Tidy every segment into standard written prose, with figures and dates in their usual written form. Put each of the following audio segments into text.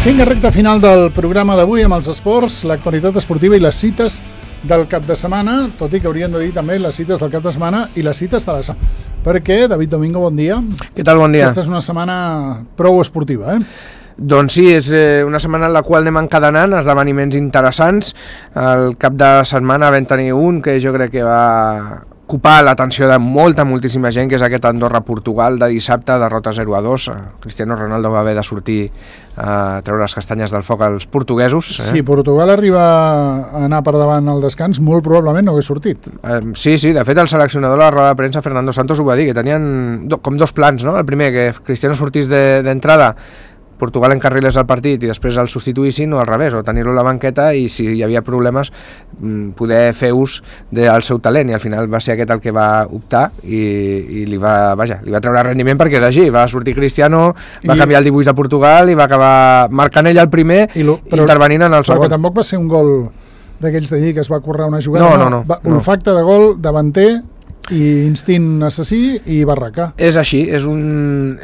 Vinga, recta final del programa d'avui amb els esports, l'actualitat esportiva i les cites del cap de setmana, tot i que hauríem de dir també les cites del cap de setmana i les cites de la setmana. Perquè, David Domingo, bon dia. Què tal, bon dia? Aquesta és una setmana prou esportiva, Doncs sí, és una setmana en la qual anem encadenant esdeveniments interessants. El cap de setmana vam tenir un que jo crec que va ocupar l'atenció de moltíssima gent, que és aquest Andorra-Portugal de dissabte, derrota 0-2. Cristiano Ronaldo va haver de sortir a treure les castanyes del foc als portuguesos. Si Portugal arriba a anar per davant al descans, molt probablement no hagués sortit. Sí, de fet el seleccionador de la roda de premsa, Fernando Santos, ho va dir, que tenien com dos plans, no? El primer, que Cristiano sortís d'entrada, Portugal encarrilés el partit i després el substituïssin, o al revés, o tenir-lo a la banqueta i si hi havia problemes poder fer ús del seu talent, i al final va ser aquest el que va optar i li va treure rendiment, perquè és així, va sortir Cristiano, va canviar el dibuix de Portugal i va acabar marcant ell el primer i intervenint en el segon. Però tampoc va ser un gol d'aquells d'allí que es va currar una jugada, no. Olfacte de gol, davanter i instint assassí i barraca. És així, és un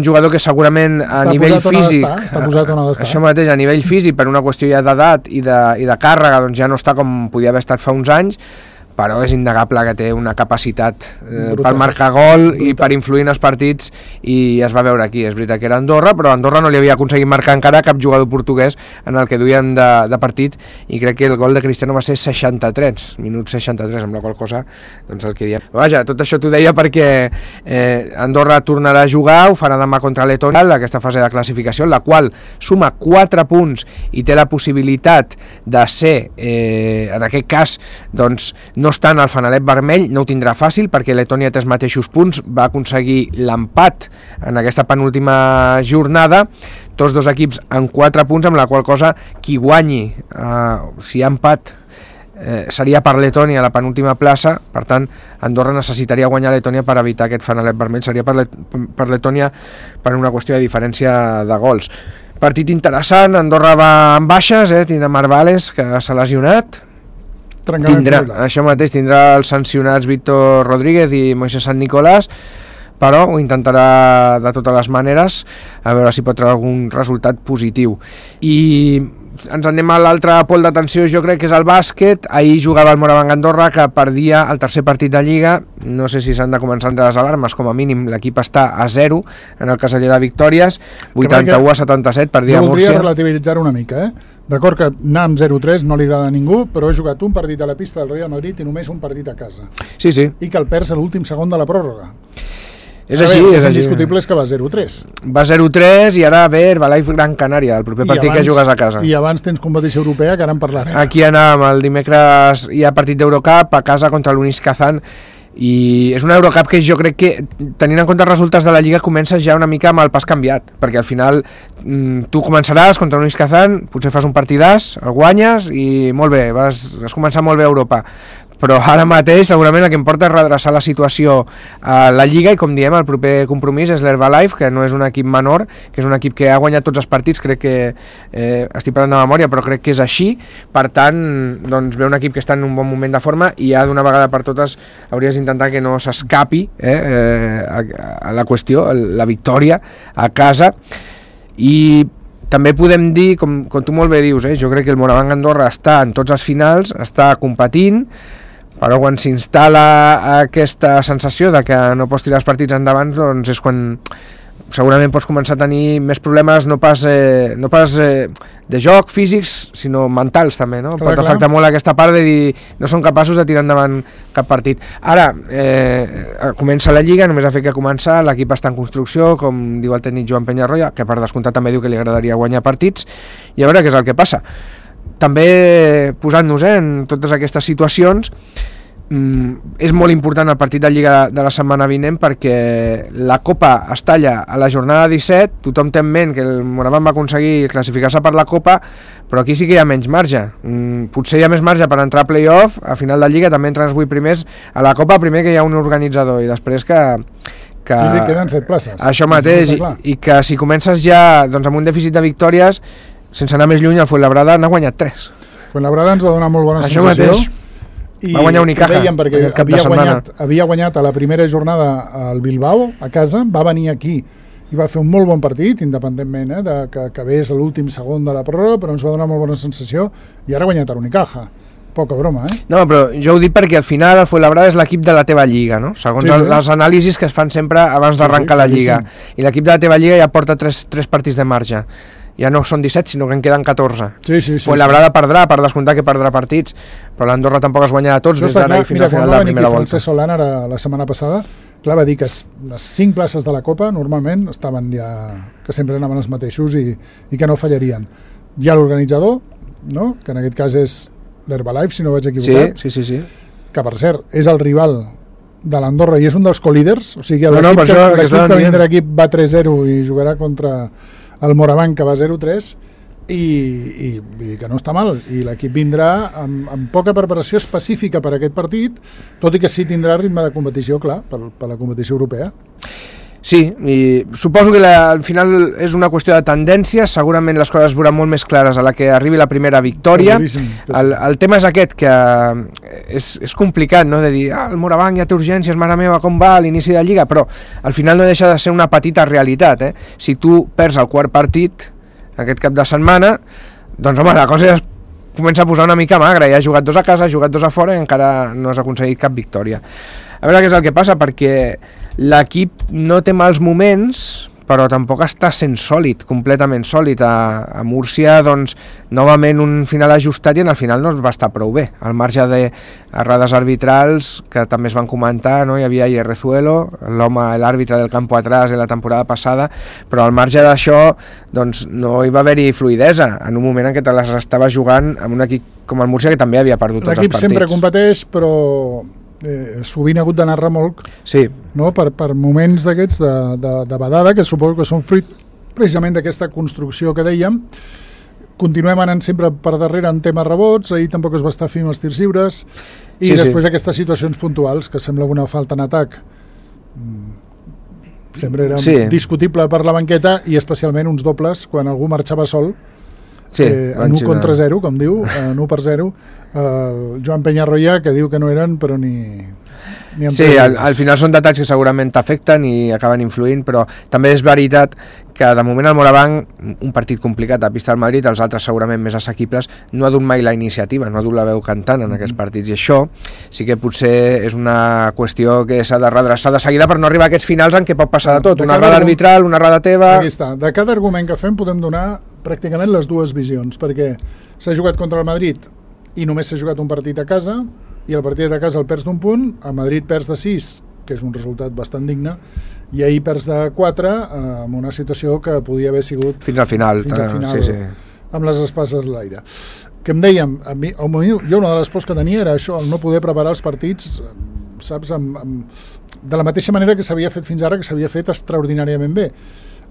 jugador que segurament a nivell físic està posat on ha d'estar. Això mateix, a nivell físic, per una qüestió ja d'edat i de càrrega, doncs ja no està com podia haver estat fa uns anys, però és innegable que té una capacitat per marcar gol i per influir en els partits, i es va veure aquí. És veritat que era Andorra, però Andorra no li havia aconseguit marcar encara cap jugador portuguès en el que duien de partit, i crec que el gol de Cristiano va ser 63, minut 63, amb la qual cosa, doncs el que diem. Vaja, tot això t'ho deia perquè Andorra tornarà a jugar, ho farà demà contra Letònia, aquesta fase de classificació, en la qual suma 4 punts i té la possibilitat de ser, en aquest cas, doncs, no està en el fanalet vermell, no ho tindrà fàcil perquè Letònia té els mateixos punts, va aconseguir l'empat en aquesta penúltima jornada, tots dos equips en 4 punts, amb la qual cosa qui guanyi, si hi ha empat, seria per Letònia a la penúltima plaça. Per tant, Andorra necessitaria guanyar Letònia per evitar aquest fanalet vermell, seria per Letònia per una qüestió de diferència de gols. Partit interessant, Andorra va amb baixes, tindrà Marvales, que s'ha lesionat, tindrà els sancionats Víctor Rodríguez i Moisés Sant Nicolàs, però ho intentarà de totes les maneres, a veure si pot treure algun resultat positiu. I ens anem a l'altre pol d'atenció, jo crec que és el bàsquet. Ahir jugava el Morabanc Andorra, que perdia el tercer partit de Lliga. No sé si s'han de començar entre les alarmes, com a mínim l'equip està a 0 en el caseller de victòries, 81-77, perdia Múrcia. Jo voldria relativitzar una mica, D'acord que anar amb 0-3 no li agrada a ningú, però he jugat un partit a la pista del Real Madrid i només un partit a casa. Sí. I que el perds a l'últim segon de la pròrroga. És així. Indiscutible és que va 0-3. Va 0-3 i ara ve Herbalife Gran Canària, el proper partit que jugues a casa. I abans tens competició europea, que ara en parlarem. Aquí anàvem, el dimecres hi ha partit d'Eurocup a casa contra l'Unis Kazan, i és una Eurocup que jo crec que, tenint en compte els resultats de la Lliga, comences ja una mica amb el pas canviat, perquè al final tu començaràs contra l'Unis Kazan, potser fas un partidàs, el guanyes i molt bé, vas començar molt bé a Europa, però ara mateix segurament el que importa és redreçar la situació a la Lliga, i com diem, el proper compromís és l'Herbalife, que no és un equip menor, que és un equip que ha guanyat tots els partits, crec que estic parlant de memòria, però crec que és així. Per tant, doncs ve un equip que està en un bon moment de forma, i ja d'una vegada per totes hauries d'intentar que no s'escapi a la qüestió, la victòria a casa. I també podem dir, com tu molt bé dius, jo crec que el Morabanc Andorra està en tots els finals, està competint, però quan s'instal·la aquesta sensació de que no pots tirar els partits endavant, doncs és quan segurament pots començar a tenir més problemes, no pas de joc físics, sinó mentals també, no? Pot afectar molt aquesta part de dir no són capaços de tirar endavant cap partit. Ara comença la Lliga, només ha fet que començar, l'equip està en construcció, com diu el tècnic Joan Peñarroya, que per descomptat també diu que li agradaria guanyar partits, i a veure què és el que passa. També posant-nos en totes aquestes situacions, és molt important el partit de Lliga de la setmana vinent, perquè la Copa es talla a la jornada 17, tothom té en ment que el Morabanc va aconseguir classificar-se per la Copa, però aquí sí que hi ha menys marge. Potser hi ha més marge per entrar a play-off, a final de Lliga també entren els 8 primers a la Copa, primer que hi ha un organitzador i després que queden 7 places. Això mateix, i que si comences ja doncs, amb un dèficit de victòries, sense anar més lluny, el Fuenlabrada n'ha guanyat 3. Fuenlabrada ens va donar molt bona sensació. Això mateix. Va guanyar Unicaja perquè havia guanyat a la primera jornada al Bilbao, a casa, va venir aquí i va fer un molt bon partit, independentment que acabés a l'últim segon de la pròrroga, però ens va donar molt bona sensació, i ara ha guanyat l'Unicaja. Poca broma, No, però jo ho dic perquè al final el Fuenlabrada és l'equip de la teva lliga, no? Segons les anàlisis que es fan sempre abans d'arrencar la lliga. I l'equip de la teva lliga ja porta 3 partits de marge. Ja no són 17, sinó que en queden 14. Fuenlabrada perdrà, per descomptar que perdrà partits, però l'Andorra tampoc es guanyarà tots des d'ara i fins al final de la primera volta. Francesc Solana la setmana passada, clar, va dir que les 5 places de la Copa normalment estaven ja, que sempre anaven els mateixos i que no fallarien. Hi ha l'organitzador, no? Que en aquest cas és l'Herbalife, si no vaig equivocat, sí. Que per cert és el rival de l'Andorra i és un dels co-líders, o sigui l'equip que vindrà aquí va 3-0 i jugarà contra el Moraván, que va 0-3, i vull dir que no està mal, i l'equip vindrà amb poca preparació específica per a aquest partit, tot i que sí tindrà ritme de competició, clar, per la competició europea. Sí, i suposo que al final és una qüestió de tendència, segurament les coses es veuran molt més clares a la que arribi la primera victòria. El tema és aquest, que és complicat, no?, de dir, el Moraván ja té urgències, mare meva, com va a l'inici de Lliga, però al final no deixa de ser una petita realitat, Si tu perds el quart partit aquest cap de setmana, doncs home, la cosa ja es comença a posar una mica magra, ja has jugat 2 a casa, has jugat 2 a fora i encara no has aconseguit cap victòria. A veure què és el que passa, perquè l'equip no té mals moments, però tampoc està sent sòlid, completament sòlid. A Múrcia, doncs, novament un final ajustat i en el final no es va estar prou bé. Al marge d'errades arbitrals, que també es van comentar, no? Hi havia Ierrezuelo, l'àrbitre del campo atrás de la temporada passada, però al marge d'això, doncs, no hi va haver-hi fluidesa, en un moment en què te les estava jugant amb un equip com el Múrcia, que també havia perdut tots els partits. L'equip sempre competeix, però sovint ha hagut d'anar remolc, no? per moments d'aquests de badada, que suposo que són fruit precisament d'aquesta construcció que dèiem. Continuem anant sempre per darrere en temes rebots, ahir tampoc es va estar fent els tirs lliures, i després aquestes situacions puntuals, que sembla una falta en atac sempre era discutible per la banqueta, i especialment uns dobles quan algú marxava sol, en 1 contra 0, com diu, en 1-0, el Joan Peñarroya, que diu que no eren, però ni al final són detalls que segurament t'afecten i acaben influint, però també és veritat que de moment el Moraván, un partit complicat a pista del Madrid, els altres segurament més assequibles, no ha dut mai la iniciativa, no ha dut la veu cantant en aquests partits, i això sí que potser és una qüestió que s'ha de redreçar de seguida per no arribar a aquests finals en què pot passar de tot, una errada arbitral, una errada teva... Aquí està, de cada argument que fem podem donar pràcticament les dues visions, perquè s'ha jugat contra el Madrid i només s'ha jugat un partit a casa, i el partit a casa el perds d'1 punt, a Madrid perds de 6, que és un resultat bastant digne, i ahir perds de 4 amb una situació que podia haver sigut fins al final, amb les espases a l'aire. Que em dèiem, jo una de les pors que tenia era això, el no poder preparar els partits, saps, de la mateixa manera que s'havia fet fins ara, que s'havia fet extraordinàriament bé.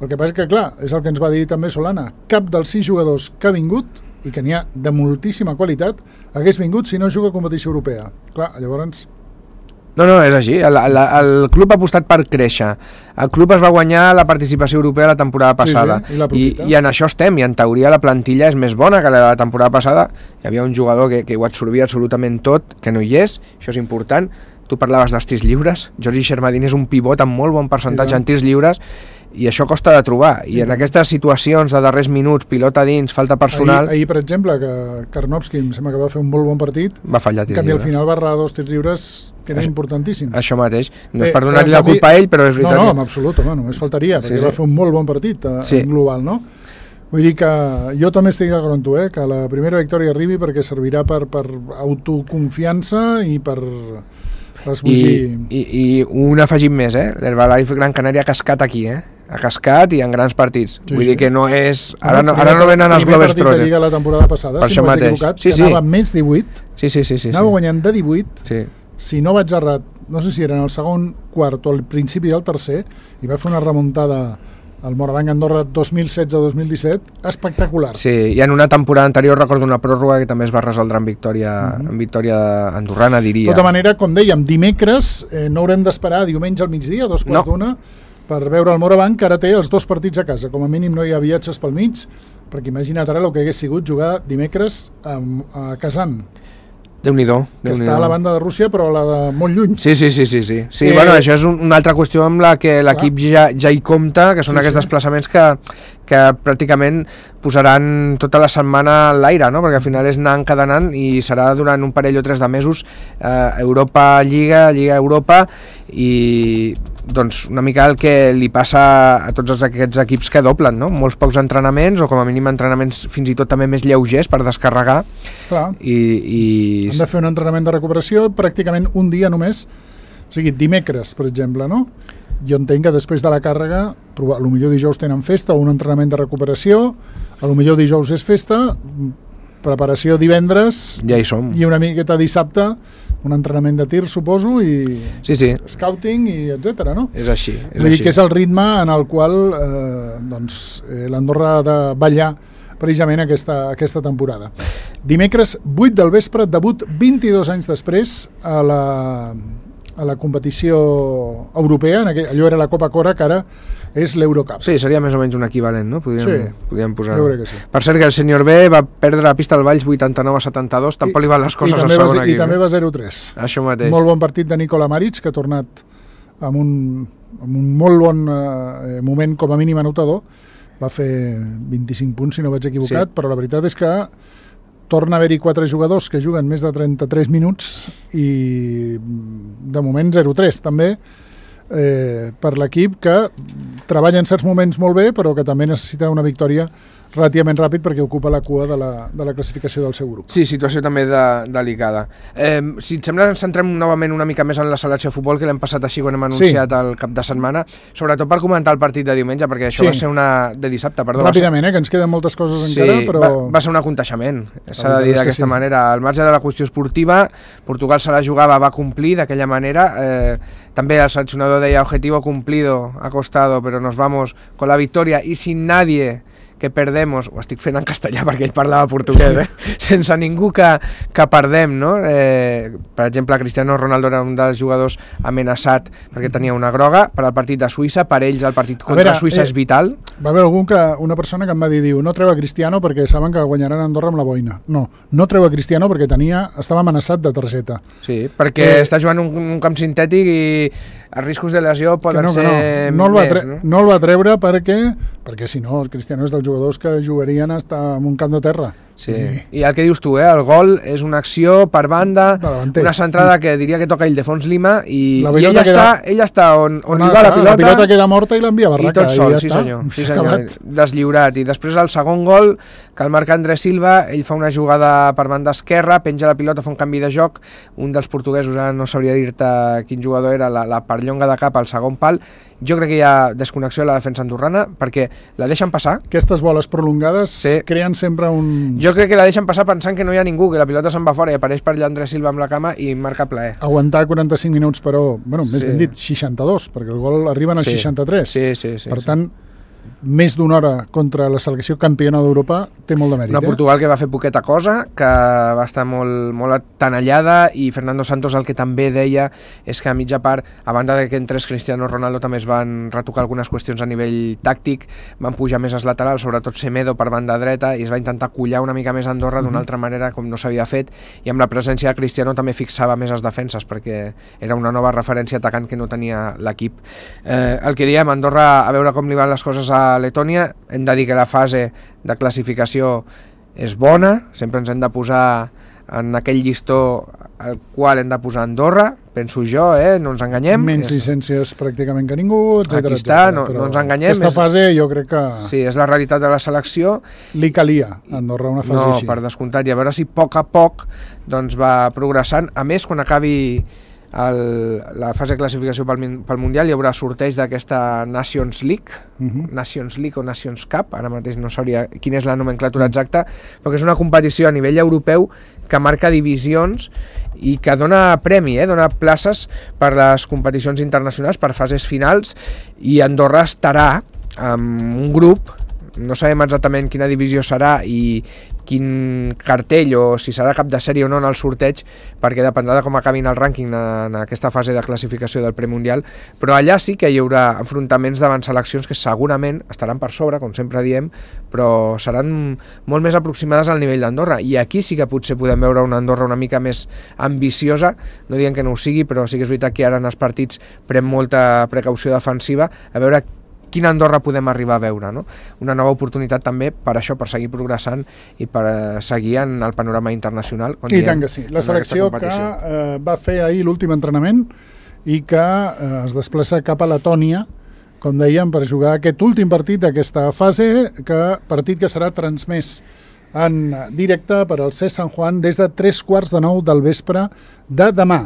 El que passa és que, clar, és el que ens va dir també Solana, cap dels 6 jugadors que ha vingut, i que n'hi ha de moltíssima qualitat, hagués vingut si no juga a competició europea. Clar, llavors... No, és així. El club ha apostat per créixer. El club es va guanyar la participació europea la temporada passada. I en això estem, i en teoria la plantilla és més bona que la de la temporada passada. Hi havia un jugador que ho absorbia absolutament tot, que no hi és, això és important. Tu parlaves dels tirs lliures. Jordi Xermadini és un pivot amb molt bon percentatge en tirs lliures, i això costa de trobar, i en aquestes situacions de darrers minuts, pilota dins, falta personal... Ahir per exemple, que Karnovski em sembla que va fer un molt bon partit, va fallar tirs lliures. En canvi al final va errar 2 tirs lliures que eren importantíssims. Això mateix, no és per donar-li la culpa a ell, però és veritat. No, en absolut, home, només faltaria, perquè va fer un molt bon partit en global, no? Vull dir que jo també estic d'acord amb tu, que la primera victòria arribi perquè servirà per autoconfiança i per... I un afegit més, l'Herbalife Gran Canària ha cascat aquí, ha cascat i en grans partits. Vull dir que no és... Ara no venen els Globetrotters. El primer partit de Lliga la temporada passada, si no vaig equivocat, que anava més 18, anava guanyant de 18, si no vaig errat, no sé si era en el segon quart o al principi del tercer, i va fer una remuntada al Moraván Andorra 2016-2017 espectacular. Sí, i en una temporada anterior recordo una pròrroga que també es va resoldre en victòria andorrana, diria. De tota manera, com dèiem, dimecres no haurem d'esperar diumenge al migdia, 2:15, per veure el Moraván, que ara té els 2 partits a casa. Com a mínim no hi ha viatges pel mig, perquè imagina't ara el que hagués sigut jugar dimecres a Kazan. Déu-n'hi-do. Que està a la banda de Rússia, però a la de molt lluny. Sí. Bueno, això és una altra qüestió amb la que l'equip ja hi compta, que són aquests desplaçaments que pràcticament posaran tota la setmana a l'aire, no? Perquè al final és anar encadenant i serà durant un parell o 3 de mesos Europa Lliga Europa, i doncs una mica el que li passa a tots aquests equips que doblen, no? Molts pocs entrenaments, o com a mínim entrenaments fins i tot també més lleugers per descarregar. Clar. I han de fer un entrenament de recuperació pràcticament un dia només, o sigui, dimecres, per exemple, no? Jo entenc que després de la càrrega, a lo millor dijous tenen festa o un entrenament de recuperació, a lo millor dijous és festa, preparació divendres, ja hi som. I una miqueta dissabte, un entrenament de tir, suposo, i scouting, i etc. no? És així. Vull dir que és el ritme en el qual l'Andorra ha de ballar precisament aquesta temporada. Dimecres, 8 del vespre, debut 22 anys després a la competició europea, allò era la Copa Cora, que ara és l'Eurocup. Sí, seria més o menys un equivalent, no? Podríem posar. Jo crec que sí. Per cert, que el senyor B va perdre la pista al Valls 89-72, tampoc li van les coses a segona equip. I també va 0-3. Això mateix. Molt bon partit de Nikola Maric, que ha tornat amb un molt bon moment com a mínim anotador. Va fer 25 punts, si no vaig equivocat, però la veritat és que torna a haver-hi 4 jugadors que juguen més de 33 minuts i de moment 0-3 també per l'equip, que treballa en certs moments molt bé, però que també necessita una victòria relativament ràpid perquè ocupa la cua de la classificació del seu grup. Sí, situació també delicada. Si et sembla, ens centrem novament una mica més en la selecció de futbol, que l'hem passat així quan hem anunciat el cap de setmana, sobretot per comentar el partit de diumenge, perquè això va ser de dissabte, perdó. Ràpidament, que ens queden moltes coses encara, però... Va ser un aconteixement, s'ha de dir d'aquesta manera. Al marge de la qüestió esportiva, Portugal se la jugava, va complir d'aquella manera. També el seleccionador deia, objetivo cumplido, ha costado, pero nos vamos con la victoria y sin nadie que perdemos, ho estic fent en castellà perquè ell parlava portuguès, sense ningú que perdem, no? Per exemple, Cristiano Ronaldo era un dels jugadors amenaçat perquè tenia una groga per al partit de Suïssa, per ells el partit contra Suïssa és vital. Va haver una persona que em va dir, no treu a Cristiano perquè saben que guanyaran Andorra amb la boina. No treu a Cristiano perquè estava amenaçat de targeta. Sí, perquè està jugant un camp sintètic i els riscos de lesió poden ser més. No el va treure perquè si no, el Cristiano és dels jugadors que jugarien en un camp de terra. Sí. I el que dius tu, el gol és una acció per banda, una centrada que diria que toca Ildefons Lima i ell està on li va la pilota queda morta i l'envia a barraca. I tot sol, sí senyor, deslliurat. I després el segon gol, que el marca Andrés Silva, ell fa una jugada per banda esquerra, penja la pilota, fa un canvi de joc, un dels portuguesos, no sabria dir-te quin jugador era, la perllonga de cap al segon pal. Jo crec que hi ha desconnexió a la defensa andorrana perquè la deixen passar. Aquestes boles prolongades creen sempre un... Jo crec que la deixen passar pensant que no hi ha ningú, que la pilota se'n va fora i apareix per allà Andrés Silva amb la cama i marca plaer. Aguantar 45 minuts, però, més ben dit, 62, perquè el gol arriben als 63. Sí. Per tant, més d'una hora contra la selecció campiona d'Europa té molt de mèrit. Una Portugal que va fer poqueta cosa, que va estar molt atenallada, i Fernando Santos el que també deia és que a mitja part, a banda de que entrés Cristiano Ronaldo, també es van retocar algunes qüestions a nivell tàctic, van pujar més als laterals, sobretot Semedo per banda dreta, i es va intentar collar una mica més Andorra d'una altra manera com no s'havia fet, i amb la presència de Cristiano també fixava més les defenses perquè era una nova referència atacant que no tenia l'equip. El que diem, Andorra, a veure com li van les coses a Letònia, hem de dir que la fase de classificació és bona, sempre ens hem de posar en aquell llistó al qual hem de posar Andorra, penso jo, no ens enganyem. Menys llicències pràcticament que ningú, etc. Aquí està, no ens enganyem. Aquesta fase jo crec que... Sí, és la realitat de la selecció. Li calia a Andorra una fase així. No, per descomptat, i a veure si a poc doncs va progressant. A més, quan acabi la fase de classificació pel Mundial hi haurà sorteig d'aquesta Nations League, Nations League o Nations Cup, ara mateix no sabria quina és la nomenclatura exacta, però que és una competició a nivell europeu que marca divisions i que dona premi, dona places per les competicions internacionals, per fases finals, i Andorra estarà amb un grup, no sabem exactament quina divisió serà i quin cartell o si serà cap de sèrie o no en el sorteig, perquè dependrà de com acabin el rànquing en aquesta fase de classificació del premundial, però allà sí que hi haurà enfrontaments davant seleccions que segurament estaran per sobre, com sempre diem, però seran molt més aproximades al nivell d'Andorra, i aquí sí que potser podem veure una Andorra una mica més ambiciosa, no dient que no ho sigui, però sí que és veritat que ara en els partits pren molta precaució defensiva, a veure quina Andorra podem arribar a veure, no? Una nova oportunitat també per això, per seguir progressant i per seguir en el panorama internacional. I tant que sí. La selecció que va fer ahir l'últim entrenament i que es desplaça cap a Letònia, com dèiem, per jugar aquest últim partit d'aquesta fase, partit que serà transmès en directe per al CES Sant Juan des de 8:45 del vespre de demà,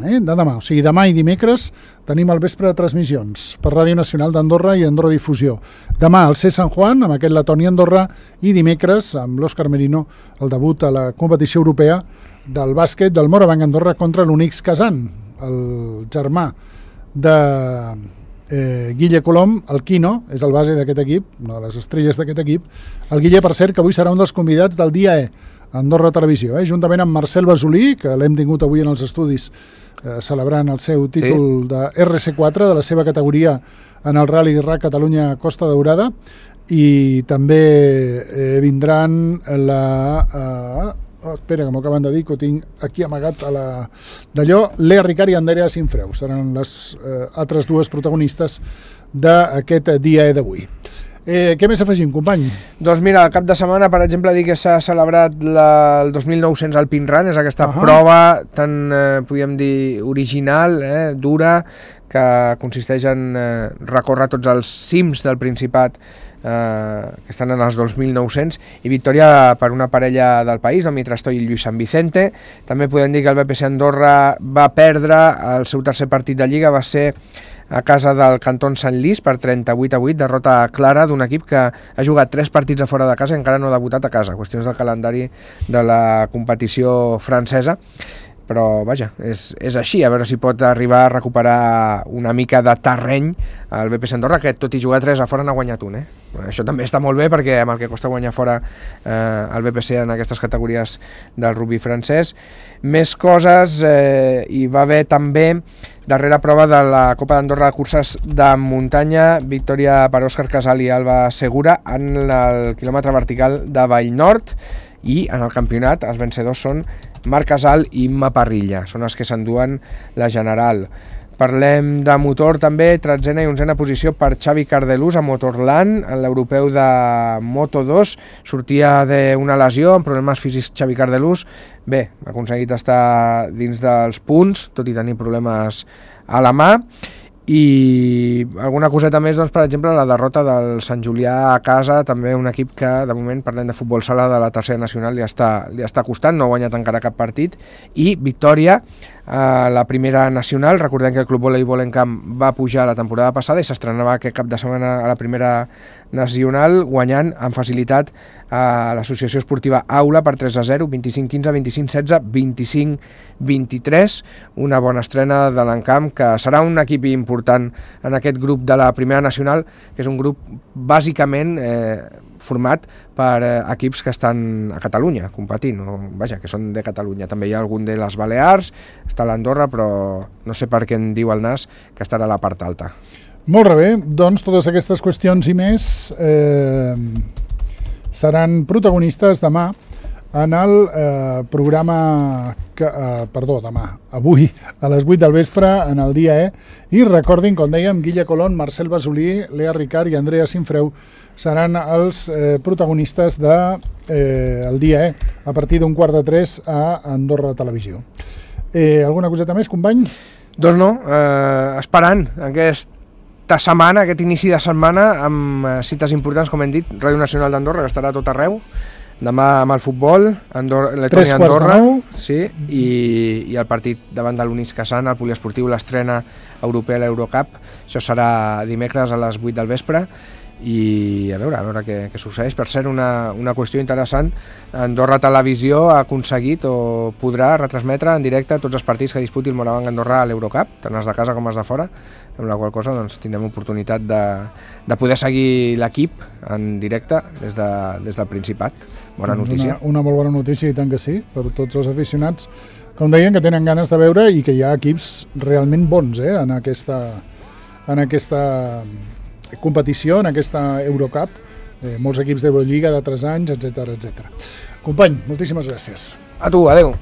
o sigui, demà i dimecres tenim al vespre de transmissions per Ràdio Nacional d'Andorra i Andorra Difusió. Demà al CES Sant Juan, amb aquest Letònia-Andorra, i dimecres amb l'Òscar Merino, el debut a la competició europea del bàsquet del Morabanc Andorra contra l'Unix Kazan, el germà de Guille Colom, el Quino, és el base d'aquest equip, una de les estrelles d'aquest equip. El Guille, per cert, que avui serà un dels convidats del dia Andorra Televisió, juntament amb Marcel Basolí, que l'hem tingut avui en els estudis celebrant el seu títol de RC4, de la seva categoria en el Rally RAC Catalunya Costa Daurada, i també vindran espera, que m'ho acaben de dir, que ho tinc aquí amagat d'allò, Lea Ricard i Andrea Sinfreu seran les altres dues protagonistes d'aquest dia d'avui. Què més afegim, company? Doncs mira, el cap de setmana, per exemple, dir que s'ha celebrat el 2900 Alpine Run, és aquesta prova tan, podríem dir, original, dura, que consisteix en recórrer tots els cims del Principat que estan en els 2.900, i victòria per una parella del país, el Mitrastoy i Lluís Sant Vicente. També podem dir que el BPC Andorra va perdre el seu tercer partit de Lliga, va ser a casa del Canton Sant Lys per 38-8, derrota clara d'un equip que ha jugat 3 partits a fora de casa i encara no ha debutat a casa, qüestions del calendari de la competició francesa. Però vaja, és així, a veure si pot arribar a recuperar una mica de terreny al BPC Andorra, que tot i jugar 3 a fora n'ha guanyat un. Això també està molt bé, perquè amb el que costa guanyar fora el BPC en aquestes categories del rugby francès. Més coses, hi va haver també darrera prova de la Copa d'Andorra de curses de muntanya, victòria per Òscar Casal i Alba Segura en el quilòmetre vertical de Vallnord, i en el campionat els vencedors són Marc Casal i Imma Parrilla, són els que s'enduen la general. Parlem de motor també, 13a i 11a posició per Xavi Cardelús a Motorland, en l'europeu de Moto2, sortia d'una lesió, amb problemes físics Xavi Cardelús, bé, ha aconseguit estar dins dels punts, tot i tenir problemes a la mà. I alguna coseta més, doncs, per exemple, la derrota del Sant Julià a casa, també un equip que, de moment, parlem de futbol sala de la tercera nacional, li està costant, no ha guanyat encara cap partit, i victòria a la primera nacional. Recordem que el Club Voleibol en Camp va pujar la temporada passada i s'estrenava aquest cap de setmana a la primera nacional, guanyant amb facilitat a l'associació esportiva Aula per 3-0, 25-15, 25-16, 25-23, una bona estrena de l'Encamp, que serà un equip important en aquest grup de la primera nacional, que és un grup bàsicament format per equips que estan a Catalunya competint, vaja, que són de Catalunya. També hi ha algun de les Balears, està l'Andorra, però no sé per què en diu el nas que estarà a la part alta. Molt bé, doncs totes aquestes qüestions i més seran protagonistes demà en el programa avui a les 8 del vespre en el dia i recordin, com dèiem, Guille Colón, Marcel Basolí, Lea Ricard i Andrea Sinfreu seran els protagonistes del dia a partir d'un 2:45 a Andorra Televisió. Alguna coseta més, company? Doncs no, esperant aquesta setmana, aquest inici de setmana amb cites importants, com hem dit, Ràdio Nacional d'Andorra, que estarà a tot arreu, demà amb el futbol, Letònia Andorra, sí, i el partit davant de l'Unix Kazan, el poliesportiu, l'estrena europea a l'Eurocup. Això serà dimecres a les 8 del vespre, i a veure què succeeix. Per cert, una qüestió interessant, Andorra Televisió ha aconseguit o podrà retransmetre en directe tots els partits que disputi el Morabanc Andorra a l'Eurocup, tant els de casa com els de fora, amb la qual cosa doncs, tindrem oportunitat de poder seguir l'equip en directe des del Principat. Bona notícia. Una molt bona notícia, i tant que sí, per tots els aficionats, com deien, que tenen ganes de veure i que hi ha equips realment bons en aquesta competició, en aquesta Eurocup, molts equips d'Eurolliga d'altres anys, etc. Company, moltíssimes gràcies. A tu, adeu.